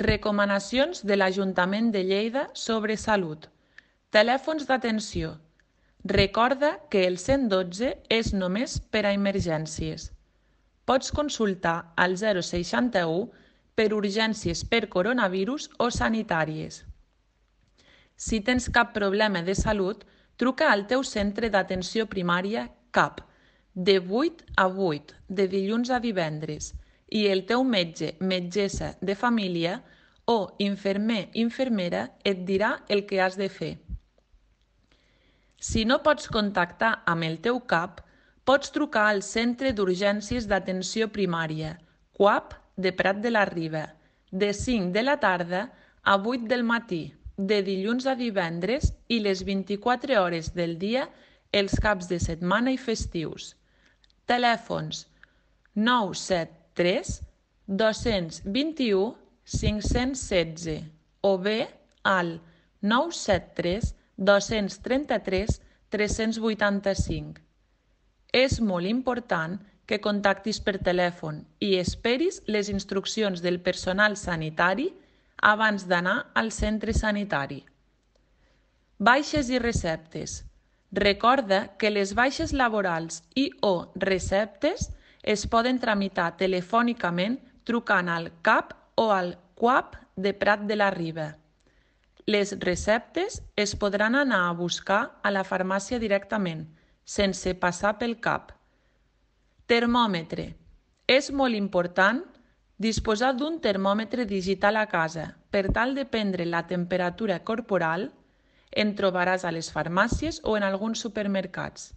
Recomanacions de l'Ajuntament de Lleida sobre salut. Telèfons d'atenció. Recorda que el 112 és només per a emergències. Pots consultar al 061 per urgències per coronavirus o sanitàries. Si tens cap problema de salut, truca al teu centre d'atenció primària CAP, de 8 a 8, de dilluns a divendres, i el teu metge, metgessa de família o infermer, infermera et dirà el que has de fer. Si no pots contactar amb el teu CAP, pots trucar al Centre d'Urgències d'Atenció Primària, CUAP de Prat de la Riba, de 5 de la tarda a 8 del matí, de dilluns a divendres i les 24 hores del dia els caps de setmana i festius. Telèfons 973 221 516 o bé al 973 233 385. És molt important que contactis per telèfon i esperis les instruccions del personal sanitari abans d'anar al centre sanitari. Baixes i receptes. Recorda que les baixes laborals i o receptes es poden tramitar telefònicament trucant al CAP o al CUAP de Prat de la Riba. Les receptes es podran anar a buscar a la farmàcia directament, sense passar pel CAP. Termòmetre. És molt important disposar d'un termòmetre digital a casa per tal de prendre la temperatura corporal. En trobaràs a les farmàcies o en alguns supermercats.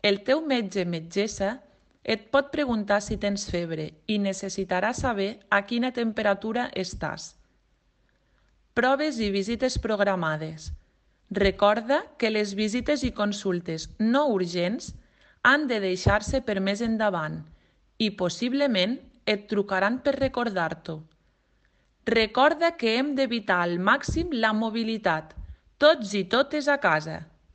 El teu metge-metgessa et pot preguntar si tens febre i necessitarà saber a quina temperatura estàs. Proves i visites programades. Recorda que les visites i consultes no urgents han de deixar-se per més endavant i possiblement et trucaran per recordar-t'ho. Recorda que hem d'evitar al màxim la mobilitat, tots i totes a casa.